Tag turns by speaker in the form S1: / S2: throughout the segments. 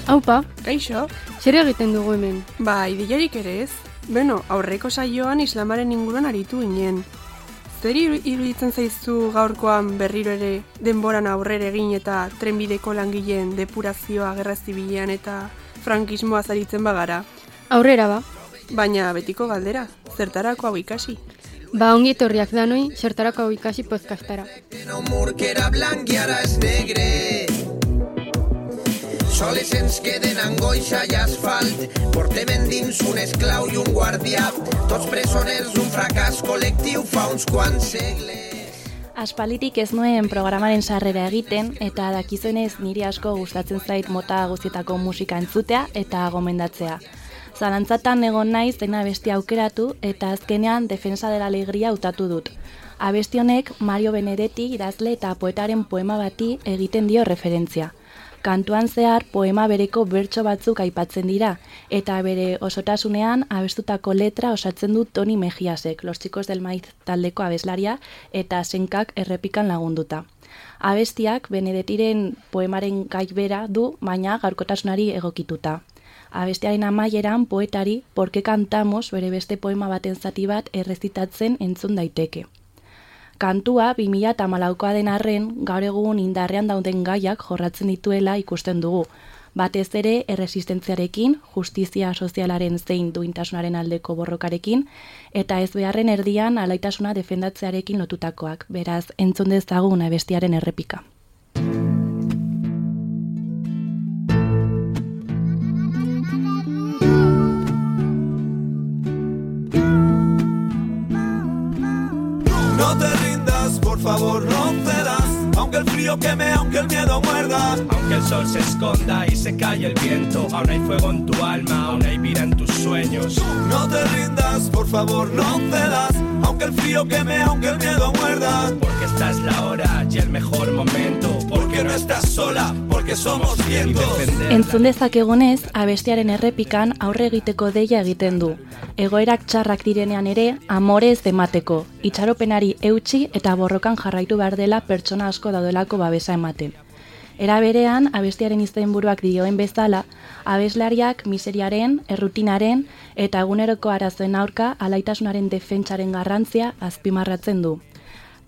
S1: Aupa,
S2: Kaixo?
S1: zer egiten dugu hemen?
S2: Ba, ideiarik ere ez. Beno, aurreko saioan islamaren inguruan aritu ginen. Zer iruditzen zaizu gaurkoan berriro ere denboran aurrera egin eta trenbideko langileen depurazioa gerra zibilean eta frankismoa zaritzen bagara?
S1: Aurrera ba.
S2: Baina betiko galdera, zertarako hau ikasi?
S1: Ba, ongi etorriak danoi, zertarako hau ikasi podcastara.
S3: Soles ens queden angoixa i asfalt, portem endins un esclau i un guardià, tots presoners, un fracàs col·lectiu fa uns quants segles.
S4: Aspalditik ez nuen programaren sarrera egiten, eta dakizuenez niri asko gustatzen zait mota guztietako musika entzutea eta gomendatzea. Zalantzatan egon naiz dena abestia aukeratu eta azkenean Defensa de la Alegría hautatu dut. Abesti honek Mario Benedetti idazle eta poetaren poema bati egiten dio referentzia. Kantuan zehar poema bereko bertso batzuk aipatzen dira, eta bere osotasunean abestutako letra osatzen du Toni Mejiasek, Los Chicos del Maíz taldeko abeslaria, eta Senkak errepikan lagunduta. Abestiak Benedettiren poemaren gai bera du, baina gaurkotasunari egokituta. Abestiaren amaieran poetari Por qué cantamos bere beste poema baten zati bat errezitatzen entzun daiteke. Kantua 2014koa den arren, gaur egun indarrean dauden gaiak jorratzen dituela ikusten dugu. Batez ere erresistentziarekin, justizia sozialaren zein duintasunaren aldeko borrokarekin, eta ez beharren erdian alaitasuna defendatzearekin lotutakoak. Beraz, entzun dezagun abestiaren errepika.
S3: No te rindas, por favor, no cedas. Aunque el frío queme, aunque el miedo muerda.
S5: Aunque el sol se esconda y se calle el viento, aún hay fuego en tu alma, aún hay vida en tus sueños.
S3: No te rindas, por favor, no cedas. Aunque el frío queme, aunque el miedo muerda.
S5: Porque esta es la hora y el mejor momento.
S3: Porque no estás sola, porque somos vientos.
S4: Entzun dezakegunez, abestiaren errepikan aurre egiteko deia egiten du. Egoerak txarrak direnean ere, amorez emateko. Itxaropenari eutsi eta borrokan jarraitu behar dela pertsona asko daudelako babesa ematen. Era berean, abestiaren izenburuak dioen bezala, abeslariak miseriaren, errutinaren eta eguneroko arazoen aurka alaitasunaren defentsaren garrantzia azpimarratzen du.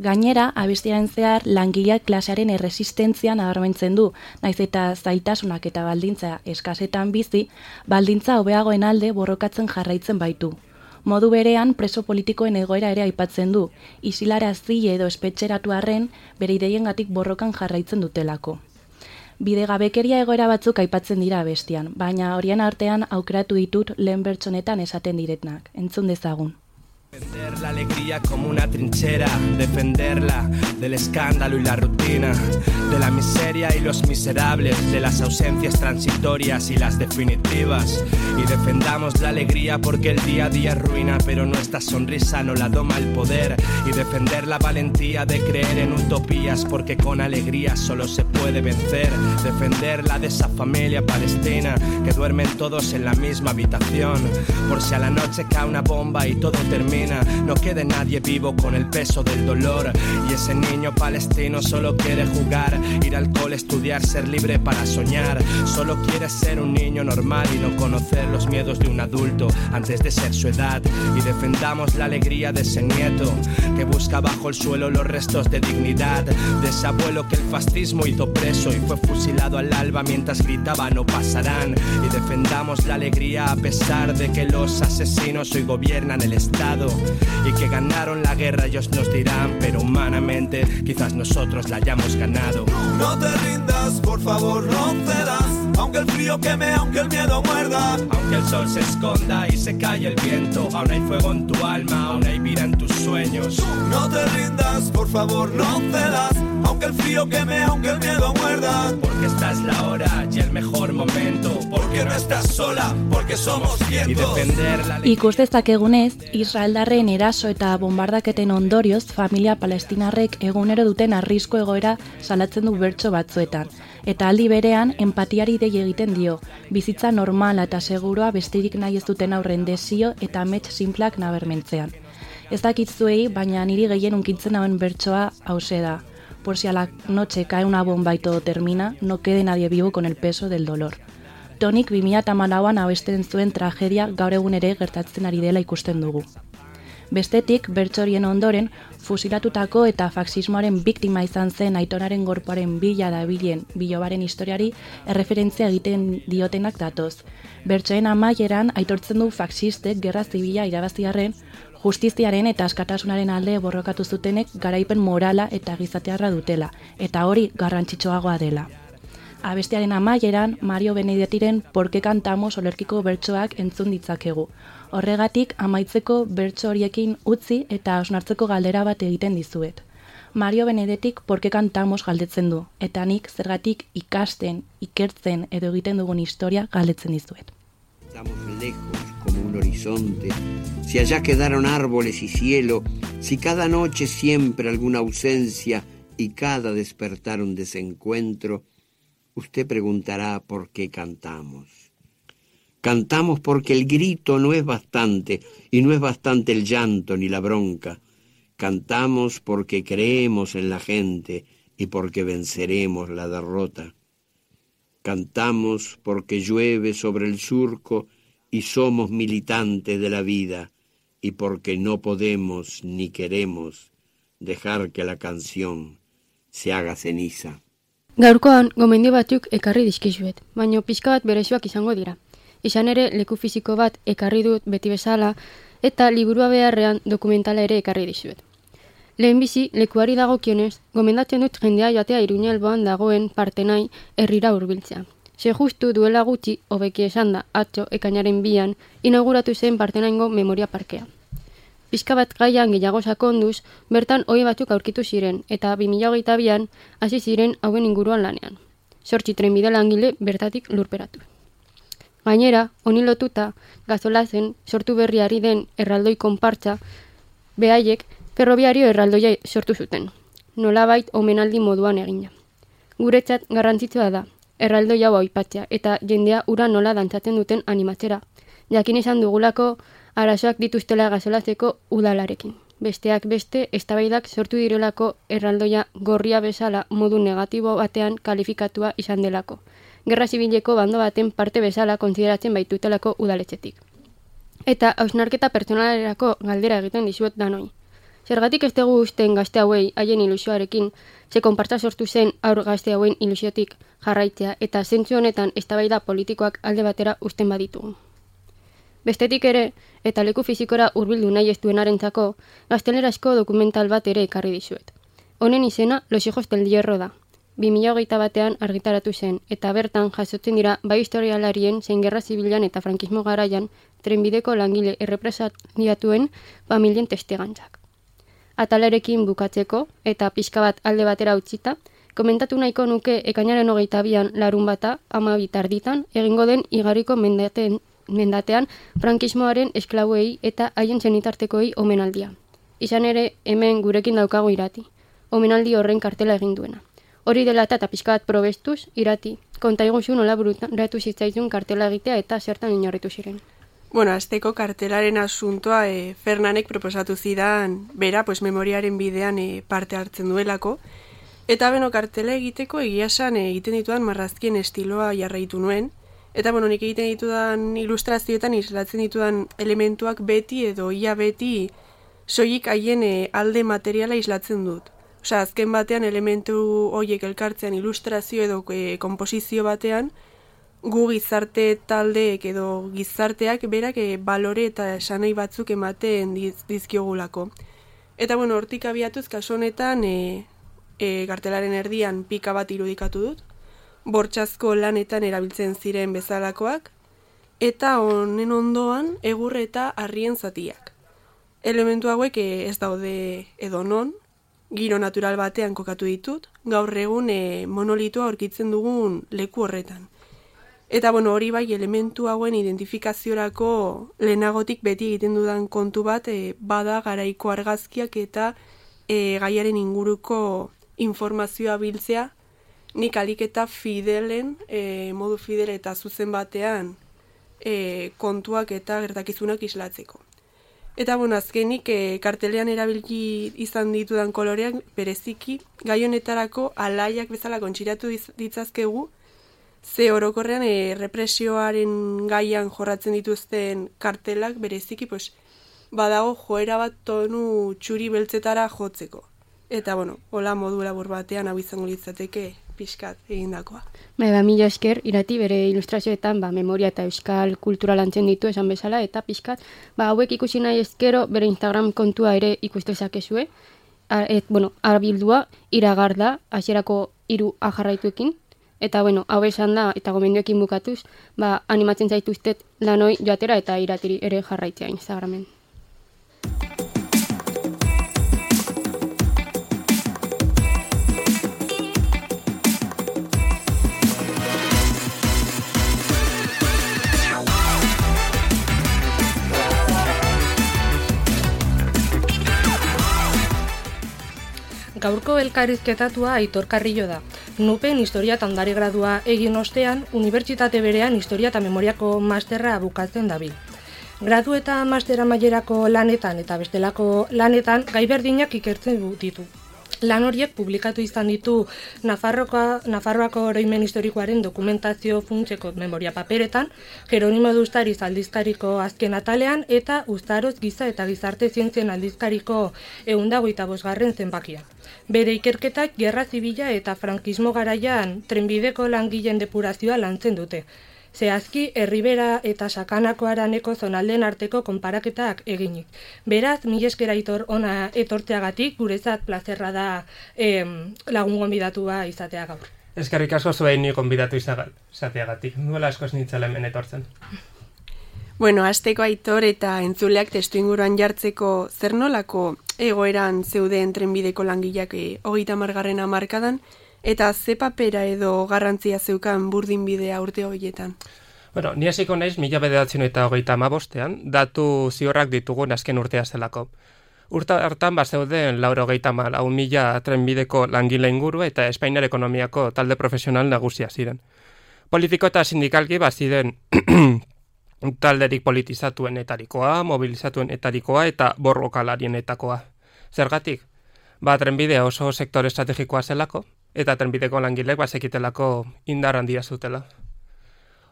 S4: Gainera, abestiaren zehar langileak klasearen erresistentzia nabarmentzen du, naiz eta zailtasunak eta baldintza eskasetan bizi, baldintza hobeagoen alde borrokatzen jarraitzen baitu. Modu berean, preso politikoen egoera ere aipatzen du, isilarazi edo espetxeratu arren, bere ideiengatik borrokan jarraitzen dutelako. Bidegabekeria egoera batzuk aipatzen dira abestian, baina horien artean aukeratu ditut lehen bertsonetan esaten diretnak. Entzun dezagun.
S5: Defender la alegría como una trinchera, defenderla del escándalo y la rutina, de la miseria y los miserables, de las ausencias transitorias y las definitivas. Y defendamos la alegría porque el día a día ruina, pero nuestra sonrisa no la doma el poder. Y defender la valentía de creer en utopías, porque con alegría solo se puede vencer. Defenderla de esa familia palestina, que duermen todos en la misma habitación, por si a la noche cae una bomba y todo termina. No quede nadie vivo con el peso del dolor. Y ese niño palestino solo quiere jugar, ir al cole, estudiar, ser libre para soñar. Solo quiere ser un niño normal y no conocer los miedos de un adulto antes de ser su edad. Y defendamos la alegría de ese nieto que busca bajo el suelo los restos de dignidad, de ese abuelo que el fascismo hizo preso y fue fusilado al alba mientras gritaba no pasarán. Y defendamos la alegría a pesar de que los asesinos hoy gobiernan el Estado y que ganaron la guerra, ellos nos dirán, pero humanamente quizás nosotros la hayamos ganado.
S3: No te rindas, por favor, no cedas. Aunque el frío queme, aunque el miedo muerda.
S5: Aunque el sol se esconda y se calle el viento, aún hay fuego en tu alma, aún hay vida en tus sueños.
S3: No te rindas, por favor, no cedas. Aunque el frío queme, aunque el miedo muerda.
S5: Porque esta es la hora y el mejor momento.
S3: Porque no estás sola, porque somos vientos.
S5: Y defender la
S4: Ikus dezakegunez, Israeldarren eraso eta bombardaketen ondorioz familia palestinarrek egunero duten arrisku egoera salatzen du bertso batzuetan. Eta aldi berean, empatiari dei egiten dio, bizitza normala eta seguroa besterik nahi ez duten aurren desio eta amets sinplak nabarmentzean. Ez dakit zuei, baina niri gehien unkitzen hauen bertsoa hause da. Por si a la noche cae una bomba y todo termina, no quede nadie vivo con el peso del dolor. Tonik 2014an abesten zuen tragedia gaur egun ere gertatzen ari dela ikusten dugu. Bestetik, bertso horien ondoren, fusilatutako eta faxismoaren biktima izan zen Aitonaren gorpuaren bila dabilen bilobaren historiari erreferentzia egiten diotenak datoz. Bertsoen amaieran aitortzen du faxistek gerra zibila irabaziarren, justiziaren eta askatasunaren alde borrokatu zutenek garaipen morala eta gizatearra dutela, eta hori garrantzitsuagoa dela. Abestiaren amaieran, Mario Benedettiren Por qué cantamos olerkiko bertsoak entzun ditzakegu. Horregatik, amaitzeko bertso horiekin utzi eta hausnartzeko galdera bat egiten dizuet. Mario Benedettik Por qué cantamos galdetzen du, eta nik zergatik ikasten, ikertzen edo egiten dugun historia galdetzen dizuet.
S6: Estamos lejos como un horizonte, si allá quedaron árboles y cielo, si cada noche siempre alguna ausencia y cada despertar un desencuentro, usted preguntará por qué cantamos. Cantamos porque el grito no es bastante, y no es bastante el llanto ni la bronca. Cantamos porque creemos en la gente y porque venceremos la derrota. Cantamos porque llueve sobre el surco y somos militantes de la vida, y porque no podemos ni queremos dejar que la canción se haga ceniza.
S1: Gaurkoan, gomendio batzuk ekarri dizkizuet, baina pixka bat berezuak izango dira. Izan ere, leku fisiko bat ekarri dut beti bezala, eta liburua beharrean dokumentala ere ekarri dizuet. Lehenbizi, lekuari dagokionez, gomendatzen dut jendea joatea Iruña alboan dagoen Partenai herrira hurbiltzea. Ze justu duela gutxi, hobeki esan da, atzo, ekainaren 2an, inauguratu zen Partenaingo memoria parkea. Pixka bat gaian gehiago sakonduz, bertan ohi batzuk aurkitu ziren, eta 2022an hasi ziren hauen inguruan lanean. 8 trenbide langile bertatik lurperatu. Gainera, honi lotuta, Gazolazen sortu berriari den erraldoi konpartza, behaiek ferrobiario erraldoia sortu zuten. Nolabait omenaldi moduan egina. Guretzat garrantzitsua da, erraldoi hau aipatzea eta jendea ura nola dantzatzen duten animatzera. Jakin izan dugulako arazoak dituztela Gazolazeko udalarekin. Besteak beste, eztabaidak sortu direlako erraldoia gorria bezala modu negatibo batean kalifikatua izan delako. Gerra zibileko bando baten parte bezala kontsideratzen baitutelako udaletxetik. Eta hausnarketa pertsonalerako galdera egiten dizuet danoi. Zergatik ez dugu usten gazte hauei haien ilusioarekin, ze konpartza sortu zen aur gazte hauen ilusiotik jarraitzea eta zentzu honetan eztabaida politikoak alde batera usten baditugu. Bestetik ere, eta leku fizikora hurbildu nahi ez duenarentzako, gaztelerazko dokumental bat ere ekarri dizuet. Honen izena Los hijos del hierro da. 2021an argitaratu zen, eta bertan jasotzen dira bai historialarien zein gerra zibilan eta frankismo garaian trenbideko langile errepresaliatuen familien testigantzak. Atalarekin bukatzeko, eta pixka bat alde batera utzita, komentatu nahiko nuke ekainaren 22an larunbata 12 tarditan egingo den igarriko mendatean frankismoaren esklabuei eta haien zenitartekoei omenaldia. Izan ere, hemen gurekin daukago Irati, omenaldi horren kartela egin duena. Hori dela eta pixka bat probestuz, Irati, konta iguzu nola bururatu zitzaizun kartela egitea eta zertan inorritu ziren.
S2: Bueno, azteko kartelaren asuntoa Fernanek proposatu zidan, bera, memoriaren bidean parte hartzen duelako, eta beno, kartela egiteko egiasan egiten ditudan marrazkien estiloa jarraitu nuen, eta nik egiten ditudan ilustrazioetan islatzen ditudan elementuak beti edo ia beti soilik haien alde materiala islatzen dut. Osea, azken batean elementu horiek elkartzean ilustrazio edo konposizio batean, gu gizarte taldeek edo gizarteak berak balore eta esanai batzuk ematen dizkiogulako. Eta hortik abiatuz kasu honetan kartelaren erdian pika bat irudikatu dut, bortxazko lanetan erabiltzen ziren bezalakoak, eta honen ondoan egur eta harrien zatiak. Elementu hauek ez daude edo non, giro natural batean kokatu ditut, gaur egun monolitua aurkitzen dugun leku horretan. Eta hori bai elementu hauen identifikaziorako lehenagotik beti egiten dudan kontu bat bada garaiko argazkiak eta gaiaren inguruko informazioa biltzea, nik alik eta fidelen, modu fidel eta zuzen batean kontuak eta gertakizunak islatzeko. Eta azkenik kartelean erabili izan ditudan koloreak bereziki gai honetarako alaiak bezala kontxiratu ditzazkegu, Ze orokorrean represioaren gaian jorratzen dituzten kartelak bereziki, badago joera bat tonu txuri beltzetara jotzeko. Eta, hola modu labur batean hau izango litzateke pixkat egindakoa.
S1: Mila esker, Irati bere ilustrazioetan memoria eta euskal kultura lantzen ditu esan bezala, eta pixkat, hauek ikusi nahi ezkero bere Instagram kontua ere ikustezakezue, arbildua iragarda, hasierako 3 jarraituekin, eta hau esan da, eta gomendioekin bukatuz, animatzen zaituztet lanoi joatera eta Iratiri ere jarraitzea Instagramen.
S7: Gaurko elkarrizketatua Aitor Carrillo da. Nupen historia eta ondare gradua egin ostean, unibertsitate berean historia eta memoriako masterra bukatzen dabil. Gradu eta mastera mailerako lanetan eta bestelako lanetan gai berdinak ikertzen ditu. Lan horiek publikatu izan ditu Nafarroako oroimen historikoaren dokumentazio funtseko memoria paperetan, Jeronimo de Ustariz aldizkariko azken atalean eta Uztaroz giza eta gizarte zientzien aldizkariko 125. zenbakian. Bere ikerketak gerra zibila eta frankismo garaian trenbideko langileen depurazioa lantzen dute. Zehazki, Erribera eta Sakanako Araneko zonaldeen arteko konparaketak eginik. Beraz, mila esker Aitor ona etortzeagatik, guretzat plazerra da lagun gonbidatua izatea gaur.
S8: Eskerrik asko zuei ni gonbidatu izateagatik. Duela askoz nintzela hemen etortzen.
S2: Hasteko Aitor eta entzuleak testuinguruan jartzeko zer nolako egoeran zeuden trenbideko langileak 30. hamarkadan, eta ze papera edo garrantzia zeukan burdinbidea urte horietan?
S8: Ni hasiko naiz 1935ean, datu ziorrak ditugun azken urtea zelako. Urte hartan bazeuden 94.000 trenbideko langile inguru eta Espainiar ekonomiako talde profesional nagusia ziren. Politiko eta sindikalki baziren talderik politizatuenetarikoa, mobilizatuenetarikoa eta borrokalarienetakoa. Zergatik? Trenbidea oso sektore estrategikoa zelako, eta trenbideko langilek bazekitelako indar handia zutela.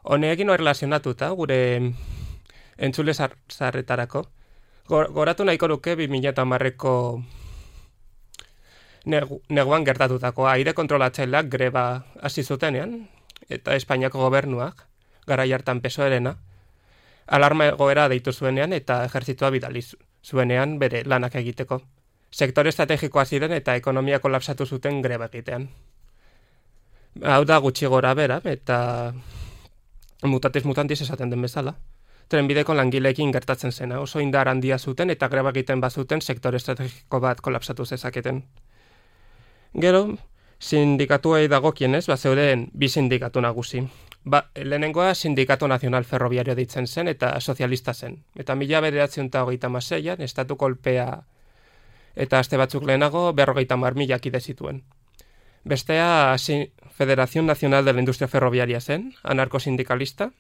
S8: Honekin erlazionatuta, gure entzule zarretarako, goratu nahiko nuke 2010ko neguan gertatutakoa aire kontrolatzaileak greba hasi zutenean, eta Espainiako gobernuak, garai hartan PSOE-rena, alarma egoera deitu zuenean eta ejertzitua bidali zuenean bere lanak egiteko. Sektore estrategikoa ziren eta ekonomia kolapsatu zuten greba egitean. Hau da gutxi gora bera eta mutatis mutantis esaten den bezala. Trenbideko langileekin gertatzen zena, oso indar handia zuten eta greba egiten bazuten sektore estrategiko bat kolapsatu zezaketen. Gero, sindikatuei dagokienez, zeuden 2 sindikatu nagusi. Lehenengoa Sindikatu Nazional Ferroviario deitzen zen eta sozialista zen. Eta 1936an estatu kolpea eta aste batzuk lehenago 50.000 kide zituen. Bestea Federación Nacional de la Industria Ferroviaria zen, anarko-sindikalista,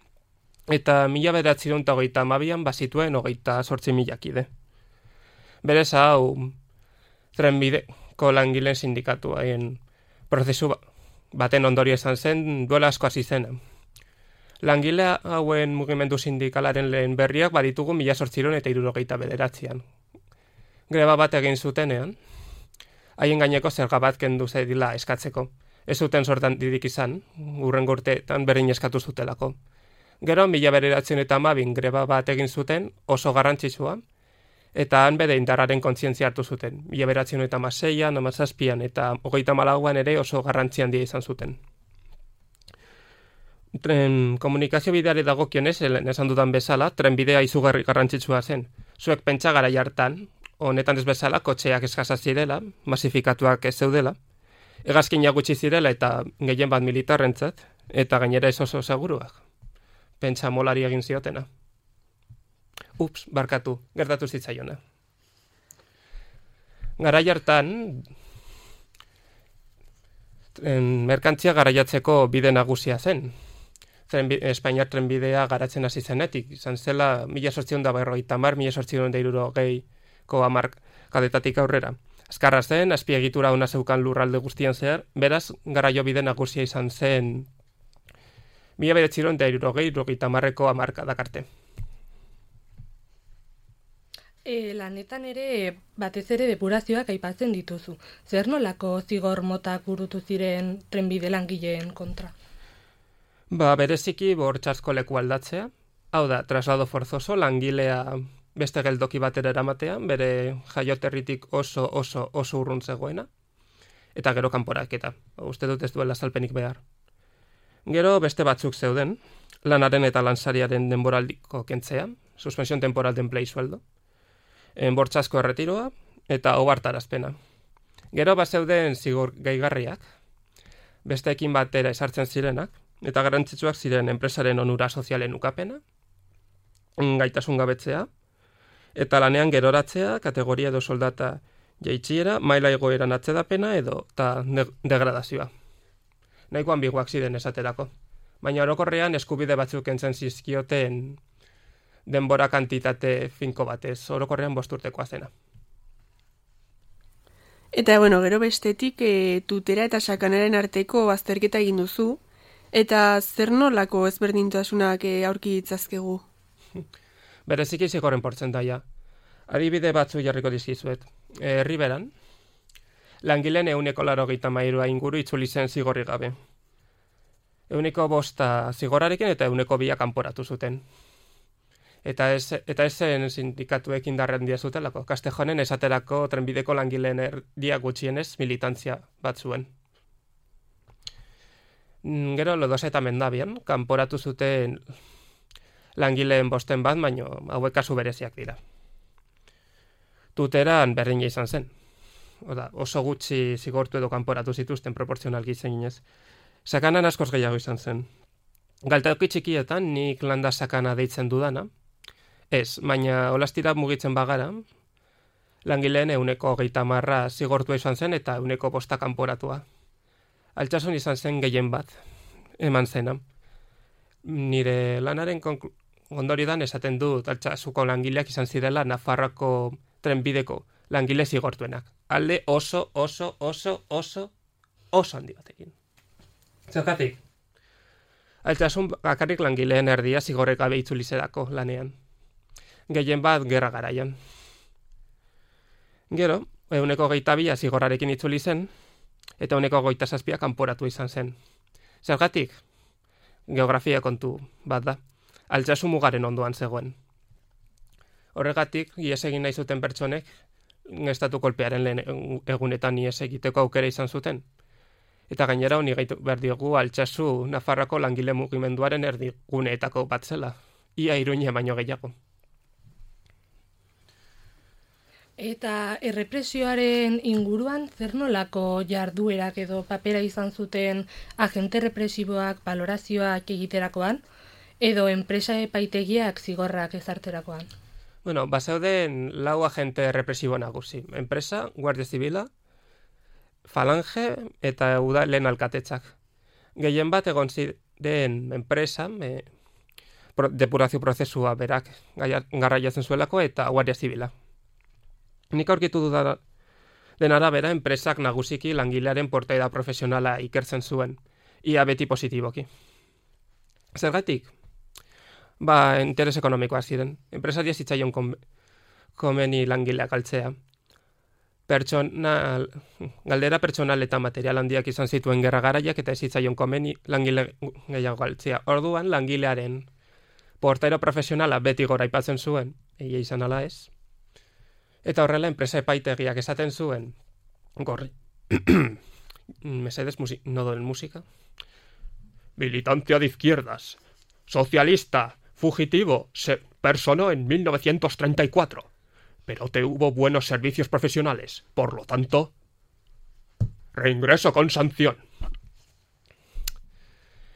S8: eta 1932an bazituen 28.000 kide. Berez hau trenbideko langileen sindikatuaien prozesu baten ondorio izan zen duela asko hasi zena. Langile hauen mugimendu sindikalaren lehen berriak baditugu 1879an. Greba bat egin zutenean, haien gaineko zerga bat kendu zedila eskatzeko. Ez zuten sortan didik izan, hurrengo urteetan berein eskatu zutelako. Gero, 1912 greba bat egin zuten oso garrantzitsua, eta han bere indarraren kontzientzia hartu zuten. 1916an, 17an eta 34an ere oso garrantzi handia izan zuten. Komunikazio bideari dagokionez, esan dudan bezala, trenbidea izugarri garrantzitsua zen. Zuek pentsa garai hartan, honetan ez bezala, kotxeak eskasa zirela, masifikatuak ez zeudela, hegazkinak gutxi zirela eta gehien bat militarrentzat, eta gainera ez oso seguruak. Pentsa molari egin ziotena. Ups, barkatu, gertatu zitzaiona. Garai hartan, merkantzia garaiatzeko bide nagusia zen. Espainiar trenbidea garatzen hasi zenetik, izan zela 1850-1860ko hamarkadetatik aurrera. Azkarra zen, azpiegitura ona zeukan lurralde guztian zehar, beraz, garaio bide nagusia izan zen 1970ko hamarkadakarte.
S7: Lanetan ere batez ere depurazioak aipatzen dituzu. Zer nolako zigor motak burutu ziren trenbide langileen kontra?
S8: Bereziki bortxatzko leku aldatzea. Hau da, traslado forzoso, langilea beste geltoki batera eramatea, bere jaioterritik oso urrun zegoena. Eta gero kanporaketa. Uste dut ez duela azalpenik behar. Gero beste batzuk zeuden, lanaren eta lansariaren denboraldiko kentzea, suspensión temporal de empleo y sueldo, bortxatzko erretiroa eta ohartarazpena. Gero zeuden zigor gehigarriak, besteekin batera esartzen zirenak, eta garrantzitsuak ziren enpresaren onura sozialen ukapena, gaitasun gabetzea, eta lanean geroratzea, kategoria edo soldata jaitsiera, maila egoeran atzedapena edo eta degradazioa. Nahiko ambiguak ziren esaterako. Baina orokorrean eskubide batzuk entzen zizkioten denbora kantitate finko batez, orokorrean 5 urtekoa zena.
S2: Eta, gero bestetik, tutera eta sakanaren arteko azterketa egin duzu, eta zer nolako ezberdintasunak aurki ditzazkegu?
S8: Bereziki zigorren portzentaia. Adibide batzu jarriko dizkizuet. Riberan, langileen 83% inguru itzuli zen zigorri gabe. 5% zigorrarekin eta 2% kanporatu zuten. Eta ez zen sindikatuek indarren dia zutelako. Castejonen esaterako trenbideko langileen erdia gutxienez militantzia bat zuen. Gero Lodosa eta Mendabian, kanporatu zuten langileen 5 bat, baino hauek kasu bereziak dira. Tuteran berdina izan zen. Oso gutxi zigortu edo kanporatu zituzten proportzionalki zinez. Sakanan askoz gehiago izan zen. Galtoki txikietan nik landa sakana deitzen dudana. Ez, baina olastira mugitzen bagara, langileen 30% zigortua izan zen eta 5% kanporatua. Altsasun izan zen gehien bat, eman zena. Nire lanaren ondorioan esaten dut Altsasuko langileak izan zirela Nafarroako trenbideko langile zigortuenak. Alde oso handi batekin. Zergatik? Altsasun bakarrik langileen erdia zigorrek gabe itzuli zedako lanean. Gehien bat gerra garaian. Gero, 22% zigorrarekin itzuli zen, eta 27% kanporatu izan zen. Zergatik? Geografia kontu bat da. Altsasu mugaren ondoan zegoen. Horregatik, ihes egin nahi zuten pertsonek, estatu kolpearen lehen egunetan ihes egiteko aukera izan zuten. Eta gainera honi gaitu behar diogu Altsasu Nafarroako langile mugimenduaren erdiguneetako bat zela. Ia Iruña baino gehiago.
S7: Eta errepresioaren inguruan zer nolako jarduerak edo papera izan zuten agente represiboak balorazioak egiterakoan, edo enpresa epaitegiak zigorrak ezarterakoan?
S8: Bazeuden 4 agente represibo nagusi. Enpresa, Guardia Zibila, Falange eta udalen alkatetzak. Gehien bat egon ziren enpresa, depurazio prozesua berak garraiatzen zuelako eta Guardia Zibila. Nik aurkitu den arabera, enpresak nagusiki langilearen portaera profesionala ikertzen zuen, ia beti positiboki. Zergatik? Interes ekonomikoa ziren. Enpresaria zitzaion komeni langileak galtzea. Galdera pertsonal eta material handiak izan zituen gerra garaiak eta ez zitzaion komeni langile gehiago galtzea. Orduan, langilearen portaera profesionala beti gora aipatzen zuen, egia izan ala ez. Eta horrela, enpresa epaitegiak esaten zuen, gorri, mesedes, no donen musika, militantea de izquierdas, socialista, fugitivo, se personó en 1934, pero tuvo buenos servicios profesionales, por lo tanto, reingreso con sanción.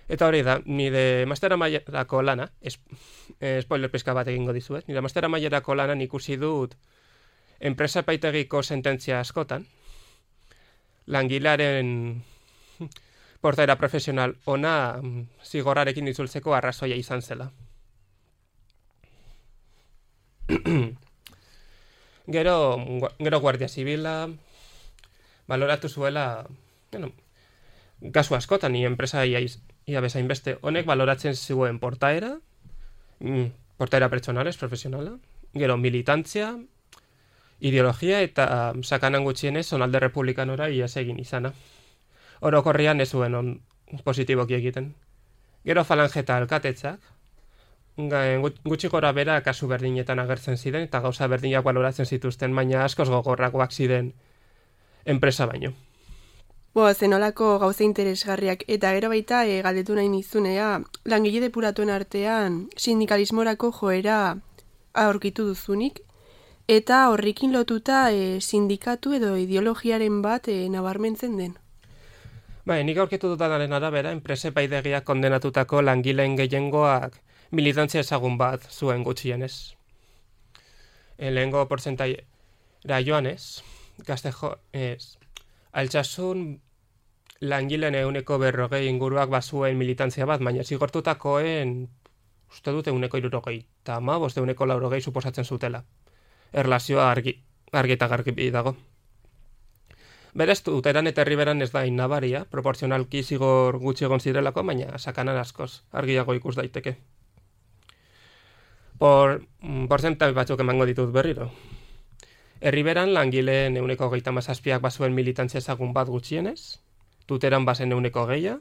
S8: Eta hori da, nire mastera mailerako lana, spoiler pizka bat egingo dizuet, nire mastera mailerako lana ikusi dut enpresa epaitegiko sententzia askotan, langilearen portaera profesional ona zigorrarekin itzultzeko arrazoia izan zela. Gero Guardia Zibila baloratu zuela, kasu askotan, enpresa ia bezain beste, honek baloratzen zuen portaera pertsonales, profesionala, gero militantzia, ideologia eta sakanan gutxienez zonalde republikanora iaz egin izana. Orokorrian ez zuen positiboki egiten. Gero falange eta alkatetzak, gutxi gora bera kasu berdinetan agertzen ziren eta gauza berdinak baloratzen zituzten, baina askoz gogorrakoak ziren enpresa baino.
S2: Zenolako gauza interesgarriak eta gero baita galdetu nahi nizunea, langile depuratuen artean sindikalismorako joera aurkitu duzunik, eta horrekin lotuta sindikatu edo ideologiaren bat nabarmentzen den.
S8: Nik aurkitu dutanaren arabera, enprese paidegiak kondenatutako langileen gehiengoak militantzia ezagun bat zuen gutxienez. Lehengo portzentaiera joanez, Gaztejo Altsasun langileen 140 inguruak bazuen militantzia bat, baina zigortutakoen uste dute 175, 180 suposatzen zutela. Erlazioa argi eta garbi dago. Berez, Tuteran eta Herriberan ez da innabaria, proporzionalki zigor gutxi egon zirelako, baina sakanan askoz argiago ikus daiteke. Porzentai batzuk emango ditut berriro. Herriberan langileen 137ak bazuen militantzia ezagun bat gutxienez, Tuteran bazen 120,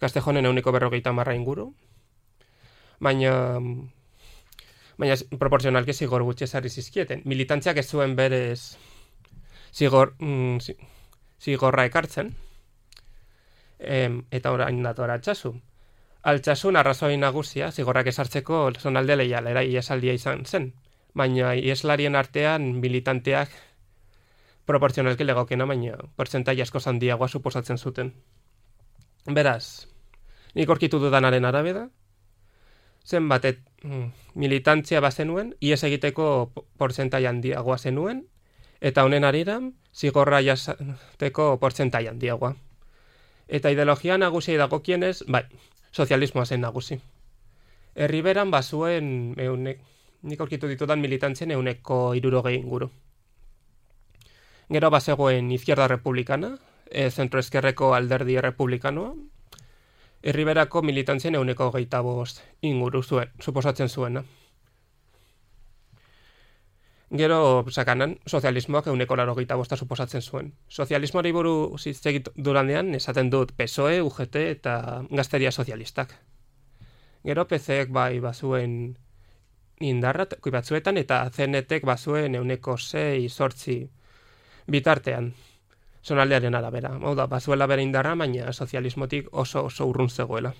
S8: Gaztejonen 150 inguru, baina proporzionalki zigor gutxi ezarri zizkieten. Militantziak ez zuen berez zigorra ekartzen, eta orain dator Altsasu. Altsasun arrazoi nagusia zigorrak esartzeko zonalde leialera iesaldia izan zen, baina ieslarien artean militanteak proporzionalki legokena, baina portzentai asko handiagoa suposatzen zuten. Beraz, nik aurkitu dudanaren arabera, zenbat militantzia bazenuen, ies egiteko portzentai handiagoa zenuen, eta honen arira, zigorra jasateko portzentai handiagoa. Eta ideologia nagusiai dagokienez, sozialismoa zen nagusi. Herriberan bazuen, nik aurkitu ditudan militantzien 160 inguru. Gero bazegoen Izquierda Republicana, zentroezkerreko alderdi republikanoa, Herriberako militantzien 125 inguru zuen, suposatzen zuena. Gero, sakanan, sozialismoak 185 suposatzen zuen. Sozialismoari buruz hitz egin dudanean esaten dut PSOE, UGT eta Gazteria Sozialistak. Gero PCek bazuen indarra batzuetan eta CNTek bazuen 106-8 bitartean, zonaldearen arabera. Hau da, bazuela bere indarra, baina sozialismotik oso urrun zegoela.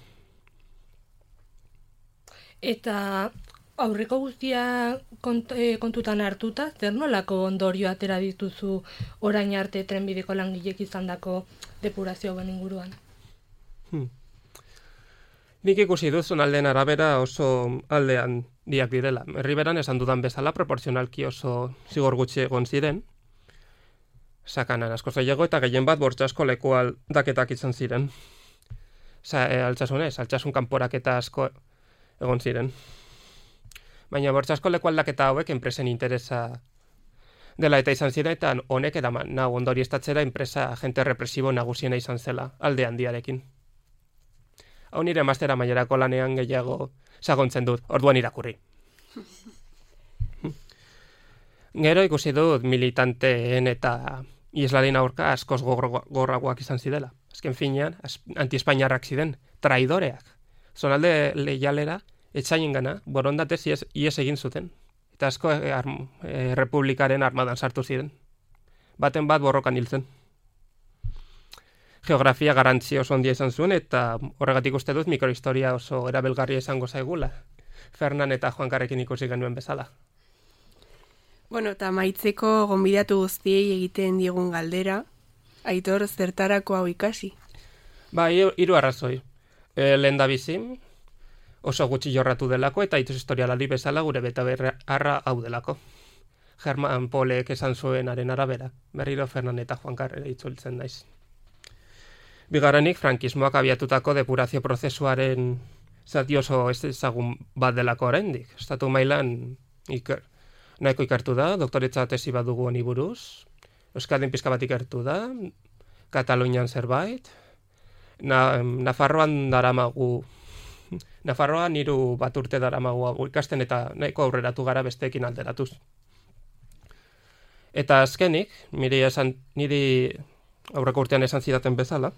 S7: Eta aurreko guztia kontutan hartuta, zer nolako ondorio atera dituzu orain arte trenbideko langilek izandako depurazioen inguruan?
S8: Nik ikusi dut zonaldeen arabera oso aldean diak direla. Herriberan esan dudan bezala proporzionalki oso zigor gutxi egon ziren, sakanan asko zailago eta gehien bat bortxasko leku aldaketak izan ziren. Altsasun kanporaketa asko egon ziren. Baina bortxasko leku aldaketa hauek enpresen interesa dela eta izan ziren, eta honek eraman ondori estatzera enpresa agente represibo nagusiena izan zela, alde handiarekin. Hau nire mastera mailerako lanean gehiago sagontzen dut, orduan irakurri. Gero ikusi dut militanteen eta ieslarien aurka askoz gorragoak izan zidela. Azken finean, anti-espainiarrak ziren, traidoreak. Zonalde leialera, etxaien gana, borondatez ies egin zuten. Eta asko republikaren armadan sartu ziren. Baten bat borrokan hil zen. Geografia garrantzia oso handia izan zuen, eta horregatik uste dut mikrohistoria oso erabilgarria izango zaigula. Fernan eta Juankarrekin ikusi genuen bezala.
S2: Eta maitzeko gonbidatu guztiei egiten diegun galdera, Aitor, zertarako hau ikasi?
S8: 3 arrazoi. Lehendabizi, oso gutxi jorratu delako, eta hitz historialari bezala gure betabeharra hau delako. Germán Polek esan zuenaren arabera, berriro Fernan eta Juankarre itzultzen naiz. Bigarrenik, frankismoak abiatutako depurazio prozesuaren zati oso ezagun bat delako oraindik. Estatu mailan nahiko ikertu da, doktoretza tesi bat dugu honi buruz, Euskadin pizka bat ikertu da, Katalunian zerbait, Nafarroan daramagu, Nafarroan 3 bat urte daramagu ikasten eta nahiko aurreratu gara besteekin alderatuz. Eta azkenik, niri aurreko urtean esan zidaten bezala,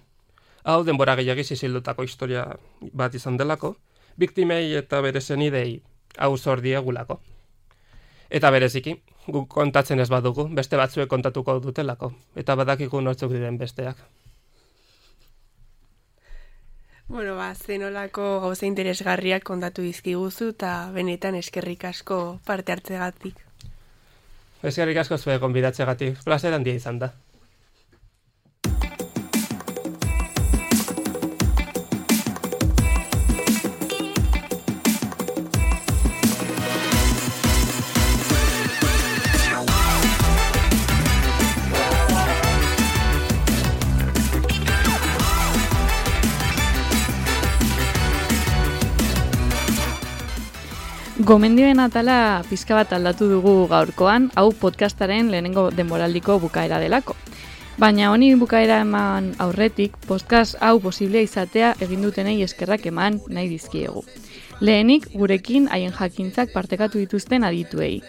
S8: hau denbora gehiagiz izildutako historia bat izan delako, biktimei eta bere senidei hau zor diegulako. Eta bereziki, guk kontatzen ez badugu, beste batzuek kontatuko dutelako, eta badakigu nortzuk diren besteak.
S2: Bueno, zenolako gauza interesgarriak kontatu dizkiguzu eta benetan eskerrik asko parte hartzegatik.
S8: Eskerrik asko zuen gonbidatzegatik, plazer handia izan da.
S9: Gomendioen atala pizka bat aldatu dugu gaurkoan, hau podcastaren lehenengo denboraldiko bukaera delako. Baina honi bukaera eman aurretik, podcast hau posiblea izatea egin dutenei eskerrak eman nahi dizkiegu. Lehenik, gurekin haien jakintzak partekatu dituzten adituei.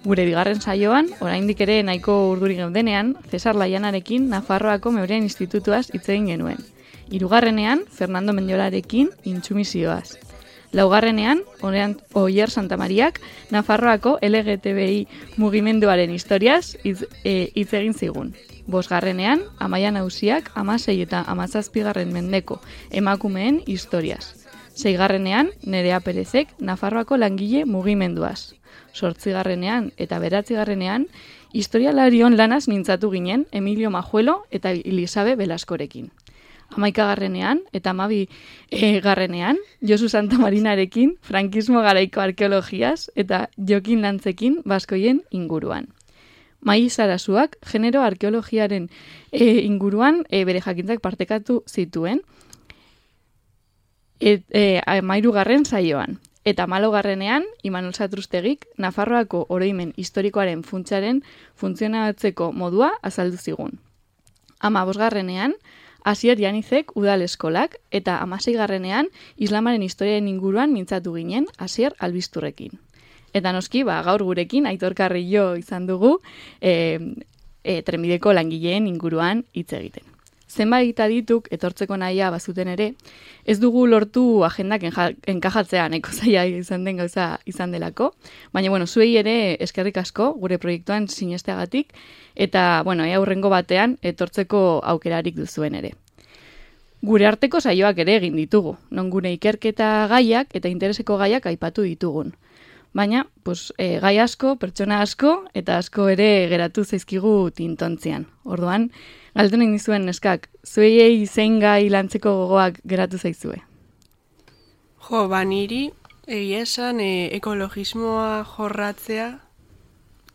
S9: Gure bigarren saioan, oraindik ere nahiko urduri geudenean, Cesar Laianarekin Nafarroako Meurien Institutuaz hitz egin genuen. 3. Fernando Mendiolarekin intsumisioaz. 4. Oier Santamariak Nafarroako LGTBI mugimenduaren historiaz hitz egin zigun. 5. Amaia Nausiak 16 eta 17 mendeko emakumeen historiaz. 6. Nerea Perezek Nafarroako langile mugimenduaz. 8. eta 9. historialarion lanaz mintzatu ginen Emilio Majuelo eta Elisabe Belaskorekin. 11. eta 12. Josu Santamarinarekin frankismo garaiko arkeologiaz eta Jokin Lantzekin baskoien inguruan. Mai Sarasuak genero arkeologiaren inguruan bere jakintzak partekatu zituen 13. saioan. Eta 14. Imanol Satrustegik Nafarroako oroimen historikoaren funtsaren funtzionatzeko modua azaldu zigun. 15. Asier Janizek udal eskolak eta 16. Islamaren historiaren inguruan mintzatu ginen Asier Albisturrekin. Eta noski, gaur gurekin Aitor Carrillo izan dugu trenbideko langileen inguruan hitz egiten. Zenbait adituk etortzeko nahia bazuten ere, ez dugu lortu agendak enkajatzea nahiko zaila izan den gauza izan delako, baina zuei ere eskerrik asko gure proiektuan sinesteagatik eta aurrengo batean etortzeko aukerarik duzuen ere. Gure arteko saioak ere egin ditugu, non gure ikerketa gaiak eta intereseko gaiak aipatu ditugun. Baina, gai asko, pertsona asko eta asko ere geratu zaizkigu tintontzian. Orduan, galdu nahi dizuen neskak, zuei zein gai lantzeko gogoak geratu zaizue?
S2: Niri, egia esan, ekologismoa jorratzea,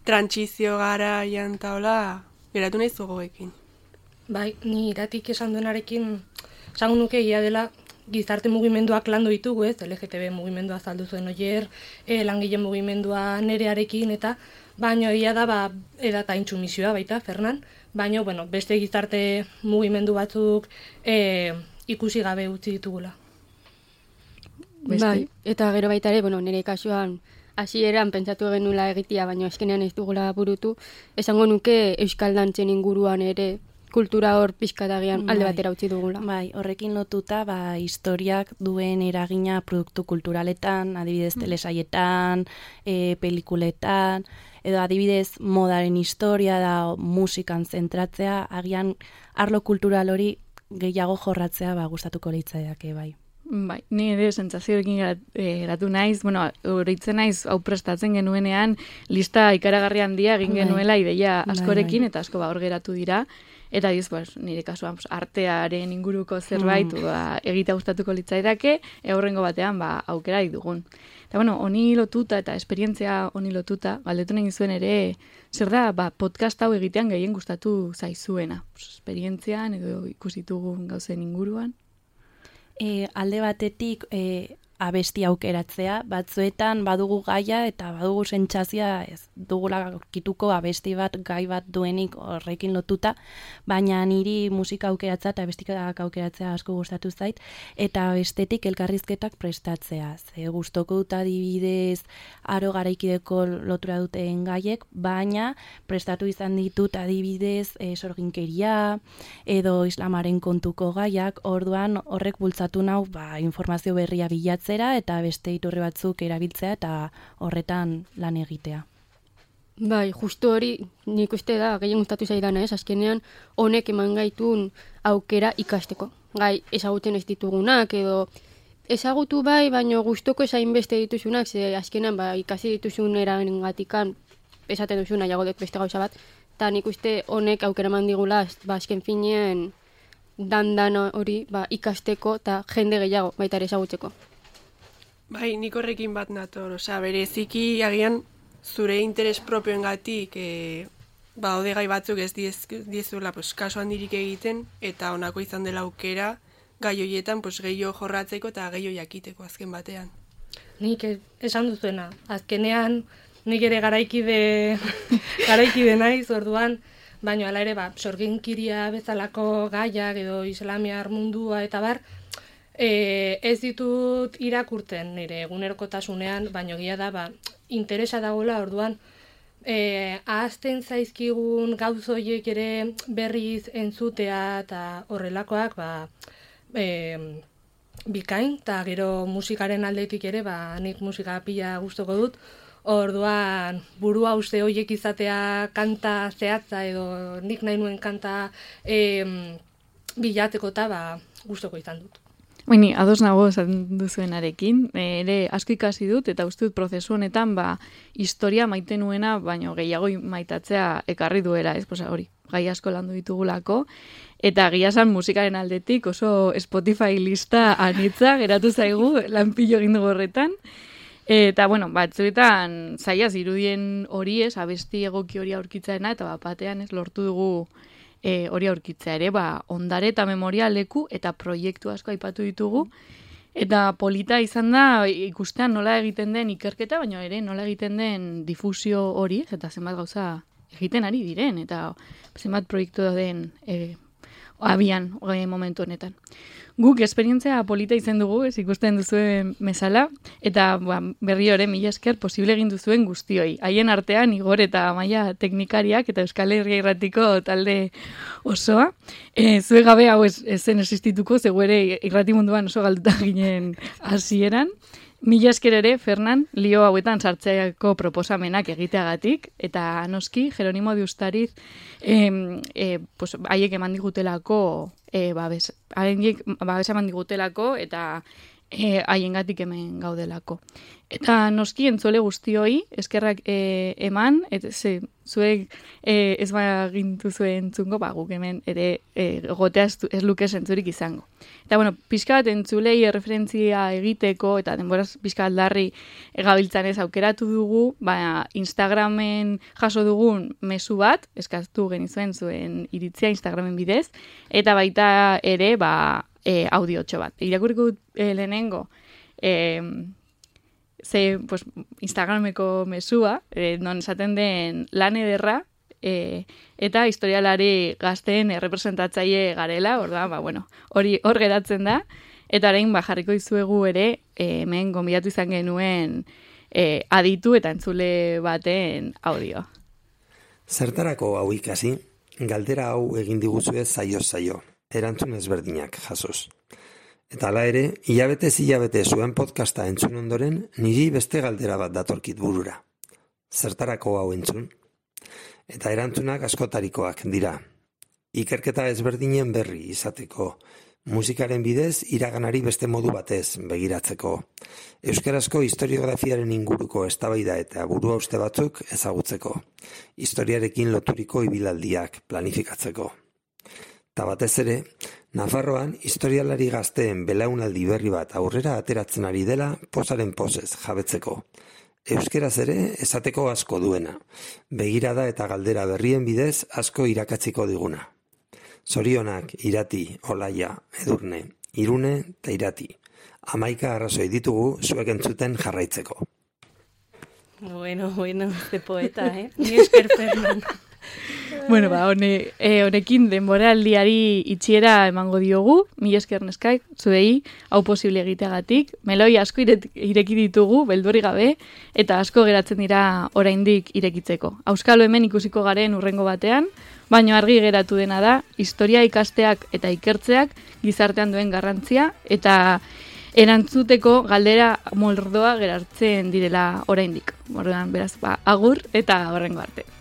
S2: trantsizio garaian taola, geratu nahi gogoekin.
S7: Bai, ni iratik esan duenarekin, esango nuke egia dela, gizarte mugimenduak landu ditugu, LGTB mugimendua azaldu zuen Oier, langile mugimendua Nerearekin, eta baino egia da, edata intsumisioa baita, Fernan, baino, beste gizarte mugimendu batzuk ikusi gabe utzi ditugula.
S1: Bai, eta gero baita ere, nire kasuan, hasieran pentsatu genula egitea, baina eskenean ez dugula burutu, esango nuke euskal dantzen inguruan ere, kultura hor pixkatagian alde batera utzi dugula.
S4: Bai, horrekin lotuta, historiak duen eragina produktu kulturaletan, adibidez telesaietan, pelikuletan, edo adibidez modaren historia da musikan zentratzea, agian arlo kultural hori gehiago jorratzea gustatuko leitzaiake, bai.
S9: Bai, ni ere sentsazioekin geratu naiz, oroitzen naiz hau prestatzen genuenean lista ikaragarri handia egin genuela ideia askorekin eta asko hor geratu dira. Eta nire kasuan artearen inguruko zerbait egitea gustatuko litzaidake, aurrengo batean aukera dugun. Eta honi lotuta eta esperientzia honi lotuta, galdetu nahi zuen ere, zer da podcast hau egitean gehien gustatu zaizuena? Esperientzian edo ikusitugun gauzen inguruan?
S4: Alde batetik abesti aukeratzea, batzuetan badugu gaia eta badugu sentsazioa ez dugula aurkituko abesti bat, gai bat duenik horrekin lotuta, baina niri musika aukeratzea eta abestikak aukeratzea asko gustatu zait, eta bestetik elkarrizketak prestatzea. Ze gustoko dut adibidez aro garaikideko lotura duten gaiek, baina prestatu izan ditut adibidez sorginkeria edo islamaren kontuko gaiak, orduan horrek bultzatu nau informazio berria bilatzera eta beste iturri batzuk erabiltzea eta horretan lan egitea.
S1: Bai, justu hori nik uste da, gehien gustatu zaidana, azkenean honek eman gaitun aukera ikasteko. Gai ezagutzen ez ditugunak edo ezagutu bai, baina gustoko ezain beste dituzunak, ze azkenean ikasi dituzun erangatikan esaten duzuna jago dut beste gauza bat, eta nik uste honek aukera eman digula, azken finean dan hori ikasteko eta jende gehiago baita ere ezagutzeko.
S2: Bai, nik horrekin bat nator, bereziki agian zure interes propioengatik ode gai batzuk ez diezuela kasu handirik egiten, eta honako izan dela aukera gai horietan gehiago jorratzeko eta gehiago jakiteko azken batean.
S7: Nik esan duzuena, azkenean nik ere garaikide naiz, orduan, baina hala ere, sorginkiria bezalako gaiak edo islamiar mundua eta bar, ez ditut irakurten nire egunerokotasunean, baina egia da, interesa dagoela, orduan, ahazten zaizkigun gauz horiek ere berriz entzutea eta horrelakoak, bikain, eta gero musikaren aldetik ere, nik musika pila gustoko dut, orduan burua uste horiek izatea kanta zehatza edo nik nahi nuen kanta bilatzeko eta gustoko izan dut.
S9: Baina, ados nago esan duzuenarekin, ere asko ikasi dut eta uste dut prozesu honetan historia maite nuena, baino gehiago maitatzea ekarri duela, ez? Hori, gai asko landu ditugulako, eta giasan musikaren aldetik oso Spotify lista anitza geratu zaigu lanpillo egin dugu horretan. Eta, batzuetan zaila zirudien hori ez, abesti egoki hori aurkitzaena, eta batean ez lortu dugu hori aurkitzea ere, ondare eta memoria leku eta proiektu asko aipatu ditugu, eta polita izan da ikustean nola egiten den ikerketa, baina ere nola egiten den difusio hori, eta zenbat gauza egiten ari diren, eta zenbat proiektu den abian momentu honetan. Guk esperientzia polita izan dugu, ez ikusten duzuen mesala, eta berri hori mila esker posible egin duzuen guztioi. Haien artean Igor eta Maia teknikariak eta Euskal Herria Irratiko talde osoa. Zue gabe hau ez zen existituko, zeu ere irrati munduan oso galduta ginen hasieran. Mila esker ere, Fernan, lio hauetan sartzeako proposamenak egiteagatik, eta noski, Jeronimo de Ustariz, haiek eman digutelako, babes eman digutelako, eta haiengatik hemen gaudelako. Eta noski, entzole guztioi, eskerrak eman, zuek ez bagintu zuen entzungo, guk hemen ere gotea ez luke zentzurik izango. Eta, pixka bat entzulei referentzia egiteko, eta denboraz pixka bat larri gabiltzan ez aukeratu dugu, Instagramen jaso dugun mezu bat, eskaztu genizuen zuen iritzia Instagramen bidez, eta baita ere, audiotxo bat. Irakurriko lehenengo, Instagrameko mesua, non esaten den lan ederra, eta historialari gazteen representatzaile garela, hor geratzen da, eta orain jarriko dizuegu ere, hemen gonbidatu izan genuen aditu eta entzule baten audio.
S10: Zertarako hau ikasi, galdera hau egin diguzue zaio, erantzun ezberdinak jasoz. Eta hala ere, hilabete zuen podcasta entzun ondoren, niri beste galdera bat datorkit burura. Zertarako hau entzun? Eta erantzunak askotarikoak dira. Ikerketa ezberdinen berri izateko, musikaren bidez iraganari beste modu batez begiratzeko, euskarazko historiografiaren inguruko eztabaida eta buruhauste batzuk ezagutzeko, historiarekin loturiko ibilaldiak planifikatzeko. Eta batez ere, Nafarroan historialari gazteen belaunaldi berri bat aurrera ateratzen ari dela pozaren pozez jabetzeko. Euskeraz ere esateko asko duena, begirada eta galdera berrien bidez asko irakatziko diguna. Zorionak, Irati, Olaia, Edurne, Irune eta Irati. 11 arrazoi ditugu zuek entzuten jarraitzeko.
S4: Bueno, ze poeta,
S7: Ni esker, Fernando.
S9: Bueno, honekin denboraldiari itxiera emango diogu, mila esker neskak, zuei, hau posible egiteagatik, meloi asko ireki ditugu, beldurri gabe, eta asko geratzen dira oraindik irekitzeko. Auskalo hemen ikusiko garen urrengo batean, baina argi geratu dena da, historia ikasteak eta ikertzeak gizartean duen garrantzia, eta erantzuteko galdera moldoa geratzen direla oraindik. Orduan, beraz, agur eta horrengo arte.